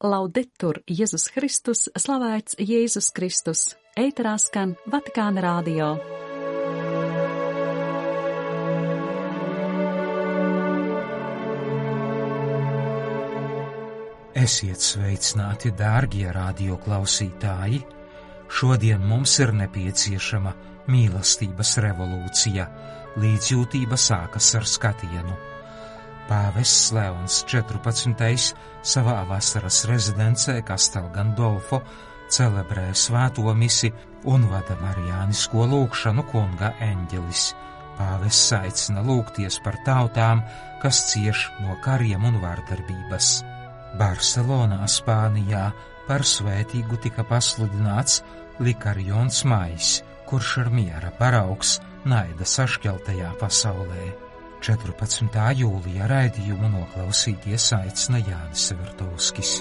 Laudetur Jēzus Kristus, slavēts Jēzus Kristus, ēterā skan Vatikāna radio. Esiet sveicināti, dārgie radio klausītāji! Šodien mums ir nepieciešama mīlestības revolūcija. Līdzjūtība sākas ar skatienu. Pāvests Leons 14. savā vasaras rezidencē Castel Gandolfo celebrē svēto misi un vada marijānisko lūgšanu Kunga eņģelis. Pāvests aicina lūgties par tautām, kas cieš no kariem un vardarbības. Barcelonā, Spānijā, par svētīgu tika pasludināts Likarjons Majs, kurš ir miera paraugs naida sašķeltajā pasaulē. 14. jūlija raidījumu noklausīties aicina Jānis Vertovskis.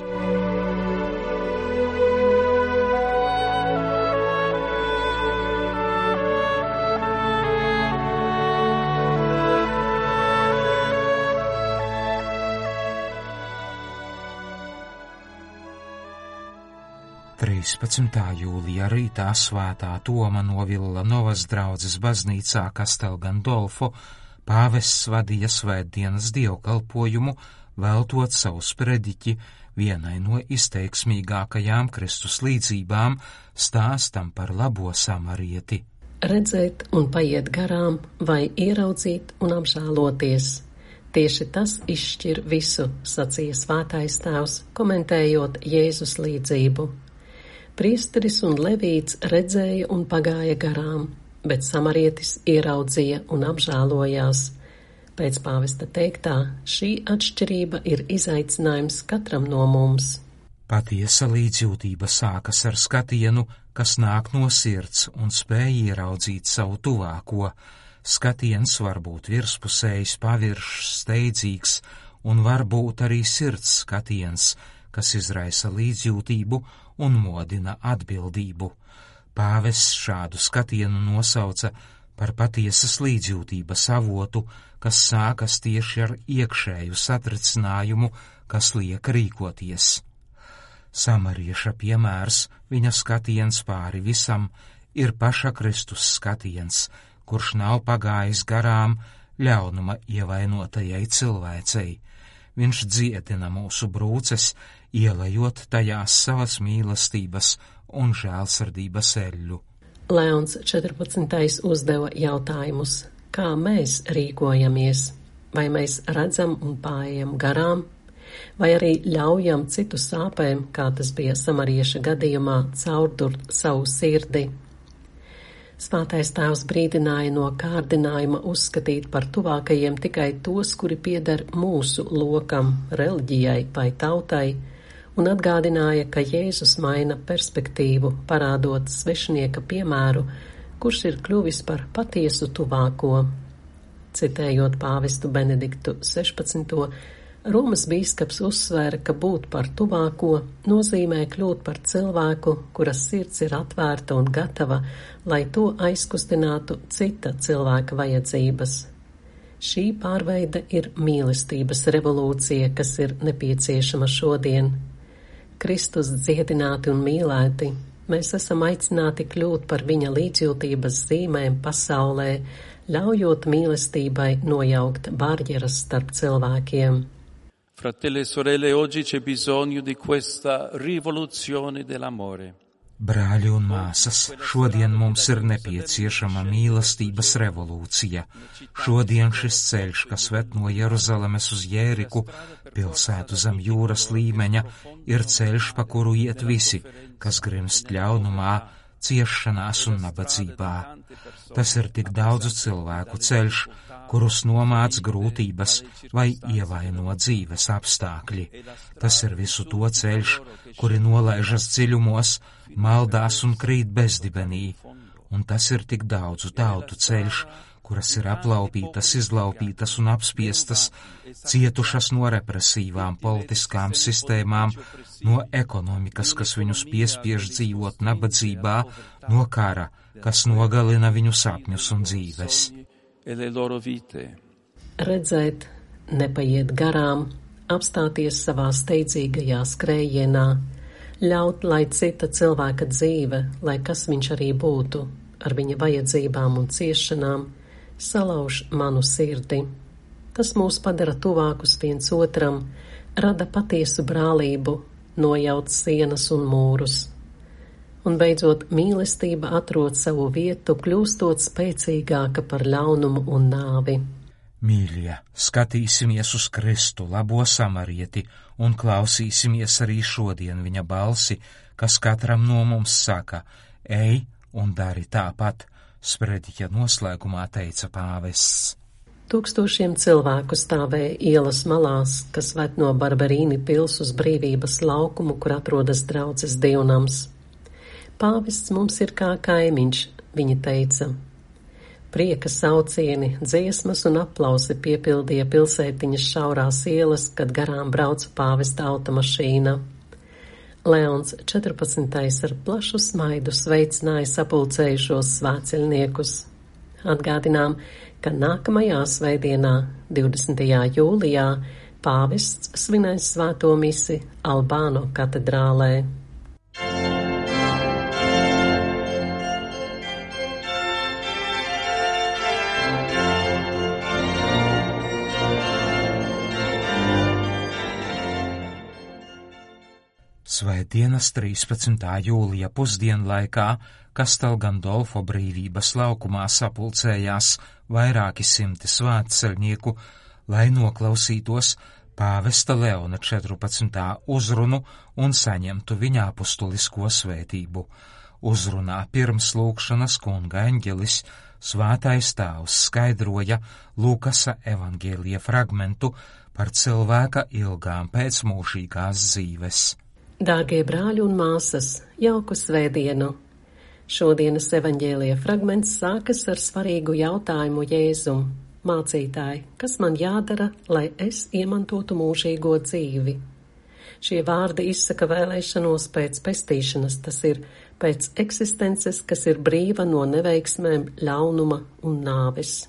Jūlijā rītā svētā Toma no Villanovas draudzes baznīcā Castel Gandolfo pāvests vadīja svētdienas dievkalpojumu, veltot savu sprediķi vienai no izteiksmīgākajām Kristus līdzībām, stāstam par labo samarieti. Redzēt un paiet garām, vai ieraudzīt un apžēloties. Tieši tas izšķir visu, sacīja svētais tēvs, komentējot Jēzus līdzību. Priesteris un levīts redzēja un pagāja garām, bet samarietis ieraudzīja un apžēlojās. Pēc pāvesta teiktā, šī atšķirība ir izaicinājums katram no mums. Patiesa līdzjūtība sākas ar skatienu, kas nāk no sirds un spēj ieraudzīt savu tuvāko. Skatiens var būt virspusējs, paviršs, steidzīgs, un var būt arī sirds skatiens, kas izraisa līdzjūtību un modina atbildību. Pāvests šādu skatienu nosauca par patiesas līdzjūtības avotu, kas sākas tieši ar iekšēju satricinājumu, kas liek rīkoties. Samarieša piemērs, viņa skatiens pāri visam, ir paša Kristus skatiens, kurš nav pagājis garām ļaunuma ievainotajai cilvēcei. Viņš dziedina mūsu brūces, ielejot tajās savas mīlestības un žēlsirdības eļļu. Leons 14. uzdeva jautājumus. Kā mēs rīkojamies? Vai mēs redzam un paiejam garām? Vai arī ļaujam citu sāpēm, kā tas bija samarieša gadījumā, caurdurt savu sirdi? Svētais tēvs brīdināja no kārdinājuma uzskatīt par tuvākajiem tikai tos, kuri pieder mūsu lokam, reliģijai vai tautai, un atgādināja, ka Jēzus maina perspektīvu, parādot svešinieka piemēru, kurš ir kļuvis par patiesu tuvāko. Citējot pāvestu Benediktu 16. Romas bīskaps uzsvēra, ka būt par tuvāko nozīmē kļūt par cilvēku, kuras sirds ir atvērta un gatava, lai to aizkustinātu cita cilvēka vajadzības. Šī pārveide ir mīlestības revolūcija, kas ir nepieciešama šodien. Kristus dziedināti un mīlēti, mēs esam aicināti kļūt par viņa līdzjūtības zīmēm pasaulē, ļaujot mīlestībai nojaukt barjeras starp cilvēkiem. Fratelli e sorelle, oggi c'è bisogno di questa rivoluzione dell'amore. Brāļi un māsas, šodien mums ir nepieciešama mīlestības revolūcija. Šodien šis ceļš, kas ved no Jeruzalemes uz Jēriku, pilsētu zem jūras līmeņa, ir ceļš, pa kuru iet visi, kas grimst ļaunumā, ciešanās un nabadzībā. Tas ir tik daudzu cilvēku ceļš, kurus nomāc grūtības vai ievaino dzīves apstākļi. Tas ir visu to ceļš, kuri nolaižas dziļumos, maldās un krīt bezdibenī. Un tas ir tik daudzu tautu ceļš, kuras ir aplaupītas, izlaupītas un apspiestas, cietušas no represīvām politiskām sistēmām, no ekonomikas, kas viņus piespiež dzīvot nabadzībā, no kara, kas nogalina viņu sapņus un dzīves. Redzēt, nepaiet garām, apstāties savā steidzīgajā skrējienā, ļaut, lai cita cilvēka dzīve, lai kas viņš arī būtu, ar viņa vajadzībām un ciešanām, salauž manu sirdi. Tas mūs padara tuvākus viens otram, rada patiesu brālību, nojauc sienas un mūrus. Un beidzot, mīlestība atrod savu vietu, kļūstot spēcīgāka par ļaunumu un nāvi. Mīļie, skatīsimies uz Kristu, labo samarieti, un klausīsimies arī šodien viņa balsi, kas katram no mums saka: ej un dari tāpat, sprediķa noslēgumā teica pāvests. Tūkstošiem cilvēku stāvēja ielas malās, kas ved no Barberīni pils uz Brīvības laukumu, kur atrodas draudzes dievnams. Pāvests mums ir kā kaimiņš, viņa teica. Prieka saucieni, dziesmas un aplausi piepildīja pilsētiņas šaurās ielas, kad garām brauca pāvesta automašīna. Leons 14. ar plašu smaidu sveicināja sapulcējušos svētceļniekus. Atgādinām, ka nākamajā svētdienā, 20. jūlijā, pāvests svinēs svēto misi Albāno katedrālē. Svētdienas 13. jūlija pusdienlaikā Castel Gandolfo Brīvības laukumā sapulcējās vairāki simti svētceļnieku, lai noklausītos pāvesta Leona 14. uzrunu un saņemtu viņa apustulisko svētību. Uzrunā pirms lūgšanas kunga eņģelis Svētais Tēvs skaidroja Lukasa evaņģēlija fragmentu par cilvēka ilgām pēc mūžīgās dzīves. Dārgie brāļi un māsas, jauku svētdienu! Šodienas evaņģēlija fragments sākas ar svarīgu jautājumu Jēzum. Mācītāji, kas man jādara, lai es iemantotu mūžīgo dzīvi? Šie vārdi izsaka vēlēšanos pēc pestīšanas, tas ir pēc eksistences, kas ir brīva no neveiksmēm, ļaunuma un nāves.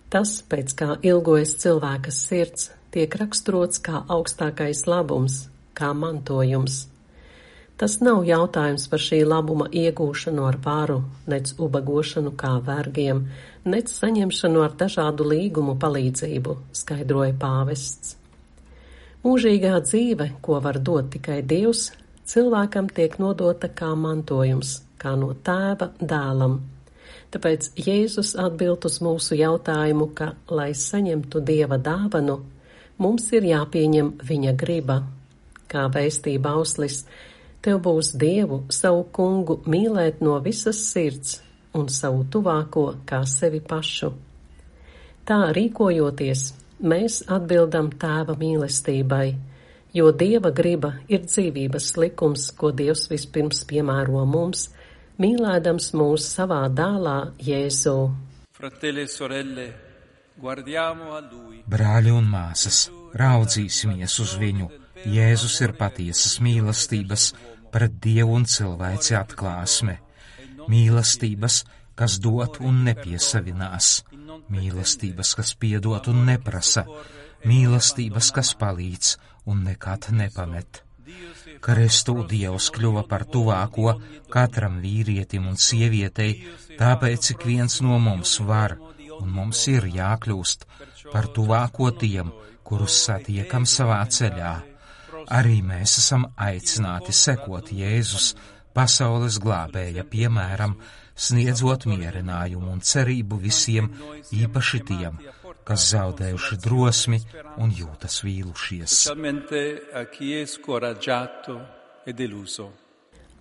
Tas, pēc kā ilgojas cilvēka sirds, tiek raksturots kā augstākais labums, kā mantojums. Tas nav jautājums par šī labuma iegūšanu ar varu, nec ubagošanu kā vergiem, nec saņemšanu ar dažādu līgumu palīdzību, skaidroja pāvests. Mūžīgā dzīve, ko var dot tikai Dievs, cilvēkam tiek nodota kā mantojums, kā no Tēva dēlam. Tāpēc Jēzus atbild uz mūsu jautājumu, ka, lai saņemtu Dieva dāvanu, mums ir jāpieņem viņa griba. Kā vēstīja bauslis, tev būs Dievu, savu kungu, mīlēt no visas sirds un savu tuvāko kā sevi pašu. Tā rīkojoties, mēs atbildam Tēva mīlestībai, jo Dieva griba ir dzīvības likums, ko Dievs vispirms piemēro mums, mīlēdams mūs savā dēlā Jēzu. Fratelli e sorelle, guardiamo a lui. Brāļi un māsas, raudzīsimies uz viņu. Jēzus ir patiesas mīlestības pret Dievu un cilvēci atklāsme. Mīlestības, kas dot un nepiesavinās. Mīlestības, kas piedot un neprasa. Mīlestības, kas palīdz un nekad nepamet. Kristū Dievs kļuva par tuvāko katram vīrietim un sievietei, tāpēc ik viens no mums var un mums ir jākļūst par tuvāko tiem, kurus satiekam savā ceļā. Arī mēs esam aicināti sekot Jēzus, pasaules glābēja piemēram, sniedzot mierinājumu un cerību visiem, īpaši tiem, kas zaudējuši drosmi un jūtas vīlušies.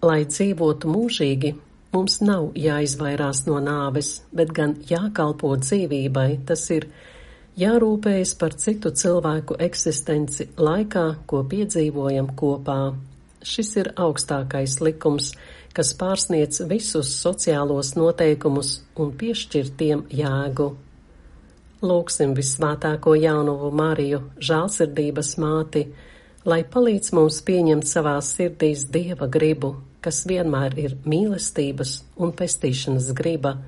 Lai dzīvotu mūžīgi, mums nav jāizvairās no nāves, bet gan jākalpo dzīvībai, tas ir jārūpējas par citu cilvēku eksistenci laikā, ko piedzīvojam kopā. Šis ir augstākais likums, kas pārsniedz visus sociālos noteikumus un piešķir tiem jēgu. Lūgsim visvētāko jaunuvu Mariju, žēlsirdības māti, lai palīdz mums pieņemt savās sirdīs Dieva gribu, kas vienmēr ir mīlestības un pestīšanas griba,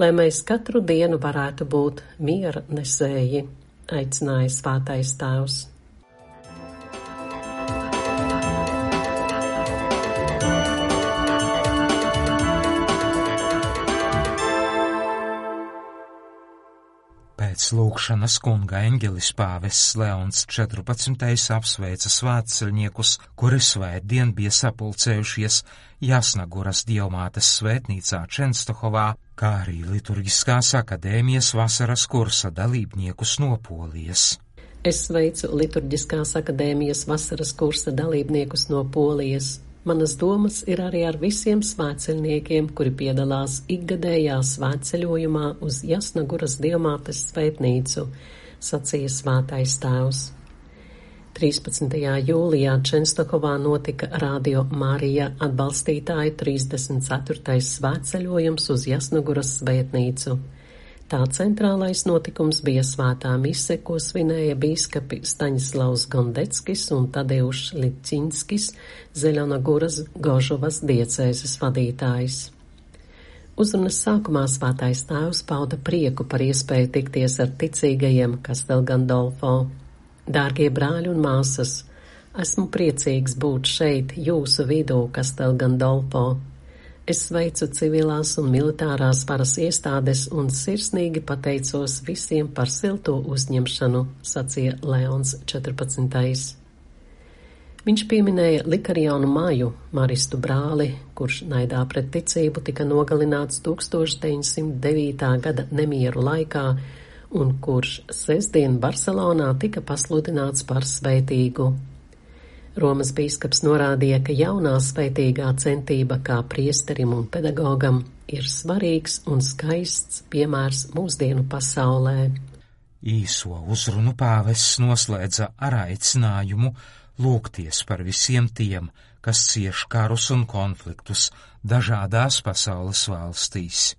lai mēs katru dienu varētu būt miera nesēji, aicināja Svētais Tēvs. Pēc lūgšanas kunga eņģelis pāvests Leons 14. apsveica svētceļniekus, kuri svētdien bija sapulcējušies Jasnaguras dievmātes svētnīcā Čenstohovā, kā arī liturģiskās akadēmijas vasaras kursa dalībniekus no Polijas. Es sveicu liturģiskās akadēmijas vasaras kursa dalībniekus no Polijas. Manas domas ir arī ar visiem svētceļniekiem, kuri piedalās ikgadējā svētceļojumā uz Jasnaguras dievmātes svētnīcu, sacīja svētais tēvs. 13. jūlijā Čenstohovā notika Radio Marija atbalstītāju 34. svētceļojums uz Jasnaguras svētnīcu. Tā centrālais notikums bija svētā mise, ko svinēja bīskapi Staņislavs Gondeckis un Tadeušs Licinskis, Zeļonaguras Gožovas diecēzes vadītājs. Uzrunas sākumā svētais tēvs pauda prieku par iespēju tikties ar ticīgajiem Castel Gandolfo. Dārgie brāļi un māsas, esmu priecīgs būt šeit jūsu vidū, Castel Gandolfo. Es sveicu civilās un militārās varas iestādes un sirsnīgi pateicos visiem par silto uzņemšanu, sacīja Leons 14. Viņš pieminēja Likarionu Maju, maristu brāli, kurš naidā pret ticību tika nogalināts 1909. gada nemieru laikā un kurš sestdien Barcelonā tika pasludināts par svētīgu. Romas bīskaps norādīja, ka jaunā svētīgā centība kā priesterim un pedagogam ir svarīgs un skaists piemērs mūsdienu pasaulē. Īso uzrunu pāvests noslēdza ar aicinājumu lūgties par visiem tiem, kas cieš karus un konfliktus dažādās pasaules valstīs.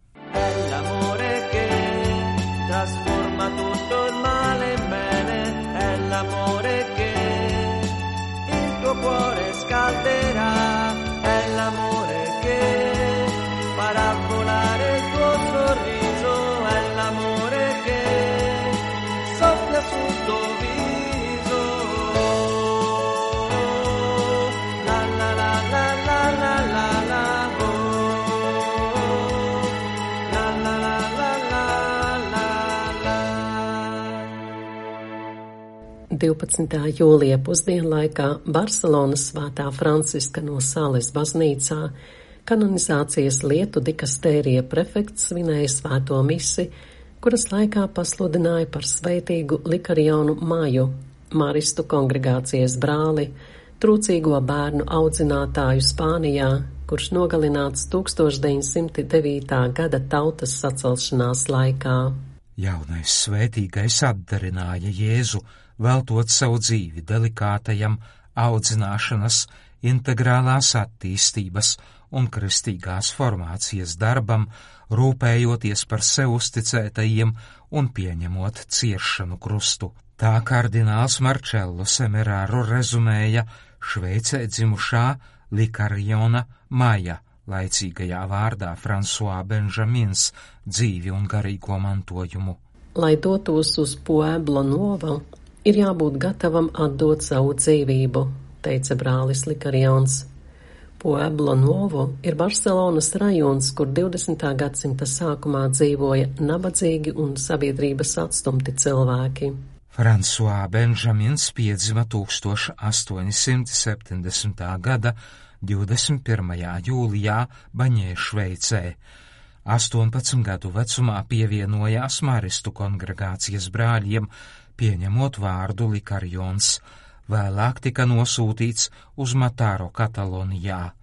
Cuore scalderà, è l'amore che farà volare il tuo sorriso, è l'amore che soffia sul tuo viso. La la la la la la la la oh. La la la la la la la. 12. jūlija pusdienlaikā Barcelonas Svētā Franciska no Sales baznīcā kanonizācijas lietu dikastērija prefekts svinēja svēto misi, kuras laikā pasludināja par svētīgu Likarionu Maju, maristu kongregācijas brāli, trūcīgo bērnu audzinātāju Spānijā, kurš nogalināts 1909. gada tautas sacelšanās laikā. Jaunais svētīgais atdarināja Jēzu, veltot savu dzīvi delikātajam audzināšanas, integrālās attīstības un kristīgās formācijas darbam, rūpējoties par sev uzticētajiem un pieņemot ciešanu krustu. Tā kardināls Marcello Semeraro rezumēja Šveicē dzimušā Likariona Maja, laicīgajā vārdā François Benjamins, dzīvi un garīgo mantojumu. Lai dotos uz Pueblo Novo, ir jābūt gatavam atdot savu dzīvību, teica brālis Likarions. Pueblo Novo ir Barcelonas rajons, kur 20. gadsimta sākumā dzīvoja nabadzīgi un sabiedrības atstumti cilvēki. François Benjamins piedzima 1870. gada 21. jūlijā Baņē, Šveicē. 18 gadu vecumā pievienojās maristu kongregācijas brāļiem, pieņemot vārdu Likarions, vēlāk tika nosūtīts uz Mataro, Katalonijā.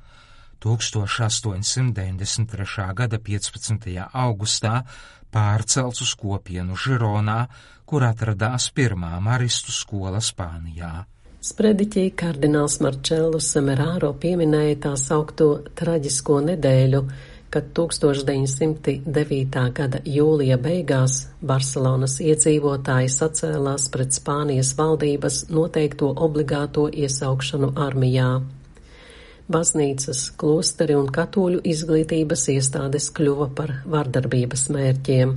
1893. gada 15. augustā pārcelts uz kopienu Žironā, kur atradās pirmā maristu skola Spānijā. Sprediķī kardināls Marcello Semeraro pieminēja tā saukto traģisko nedēļu, kad 1909. gada jūlija beigās Barcelonas iedzīvotāji sacēlās pret Spānijas valdības noteikto obligāto iesaukšanu armijā. Baznīcas, klosteri un katoļu izglītības iestādes kļuva par vardarbības mērķiem.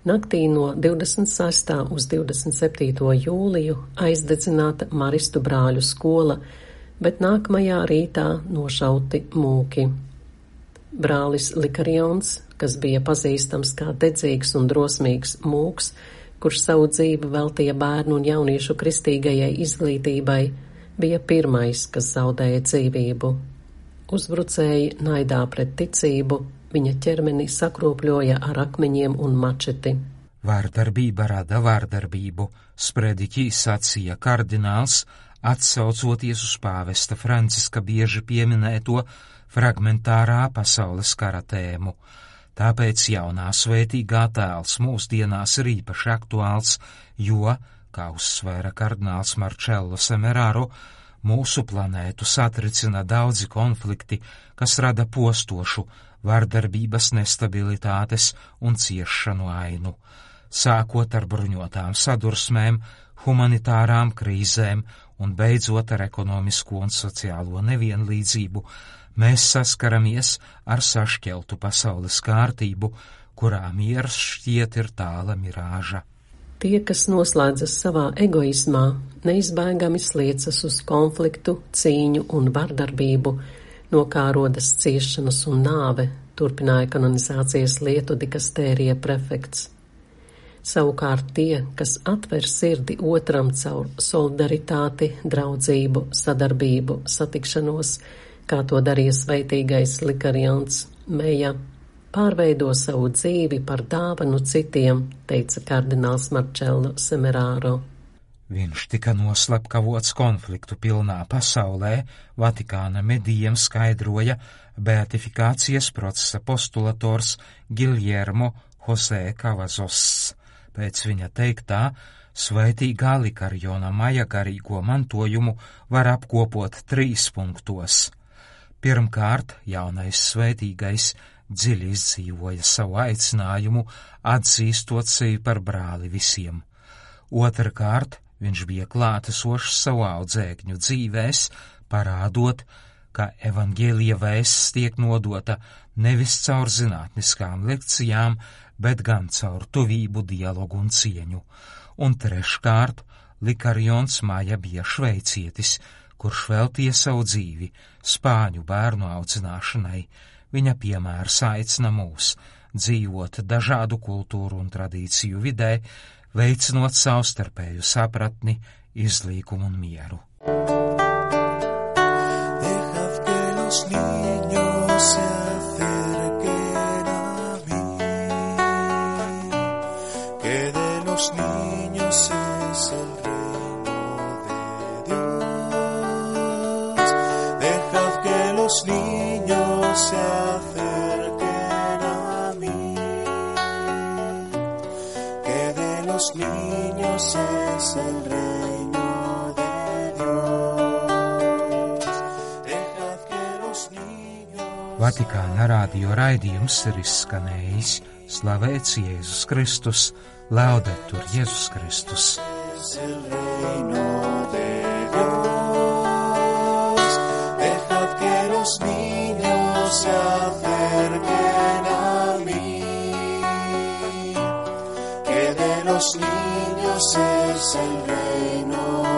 Naktī no 26. uz 27. jūliju aizdedzināta maristu brāļu skola, bet nākamajā rītā nošauti mūki. Brālis Likarions, kas bija pazīstams kā dedzīgs un drosmīgs mūks, kurš savu dzīvi veltīja bērnu un jauniešu kristīgajai izglītībai, bija pirmais, kas zaudēja dzīvību. Uzbrucēji naidā pret ticību, viņa ķermeni sakrūpļoja ar akmeņiem un mačeti. Vārdarbība rada vārdarbību, sprediķī sacīja kardināls, atsaucoties uz pāvesta Franciska bieži pieminēto fragmentārā pasaules kara tēmu. Tāpēc jaunā svētīgā tēls mūsdienās ir īpaši aktuāls, jo, kā uzsvēra kardināls Marcello Semeraro, mūsu planētu satricina daudzi konflikti, kas rada postošu, vardarbības, nestabilitātes un ciešanu ainu. Sākot ar bruņotām sadursmēm, humanitārām krīzēm un beidzot ar ekonomisko un sociālo nevienlīdzību, mēs saskaramies ar sašķeltu pasaules kārtību, kurā miers šķiet ir tāla mirāža. Tie, kas noslēdzas savā egoismā, neizbēgami sliecas uz konfliktu, cīņu un vardarbību, no kā rodas ciešanas un nāve, turpināja kanonizācijas lietu dikastērija prefekts. Savukārt tie, kas atver sirdi otram caur solidaritāti, draudzību, sadarbību, satikšanos, kā to darīja sveitīgais Likarions Meja, pārveido savu dzīvi par dāvanu citiem, teica kardināls Marcello Semeraro. Viņš tika noslepkavots konfliktu pilnā pasaulē, Vatikāna medijiem skaidroja beatifikācijas procesa postulators Giljermo José Cavazos. Pēc viņa teiktā, sveitīgā Likariona Maja garīgo mantojumu var apkopot 3 punktos. Pirmkārt, jaunais sveitīgais dziļi izdzīvoja savu aicinājumu, atzīstot sevi par brāli visiem. Otrkārt, viņš bija klātesošs savu audzēkņu dzīvēs, parādot, ka evaņģēlija vēsts tiek nodota nevis caur zinātniskām lekcijām, bet gan caur tuvību, dialogu un cieņu. Un treškārt, Likarions Maja bija šveicietis, kurš veltīja savu dzīvi spāņu bērnu audzināšanai. Viņa piemērs aicina mūs dzīvot dažādu kultūru un tradīciju vidē, veicinot savstarpēju sapratni, izlīgumu un mieru. Vatikāna radio raidījums ir izskanējis. Slavēts Jēzus Kristus, laudetur Jēzus Kristus. Los niños es el reino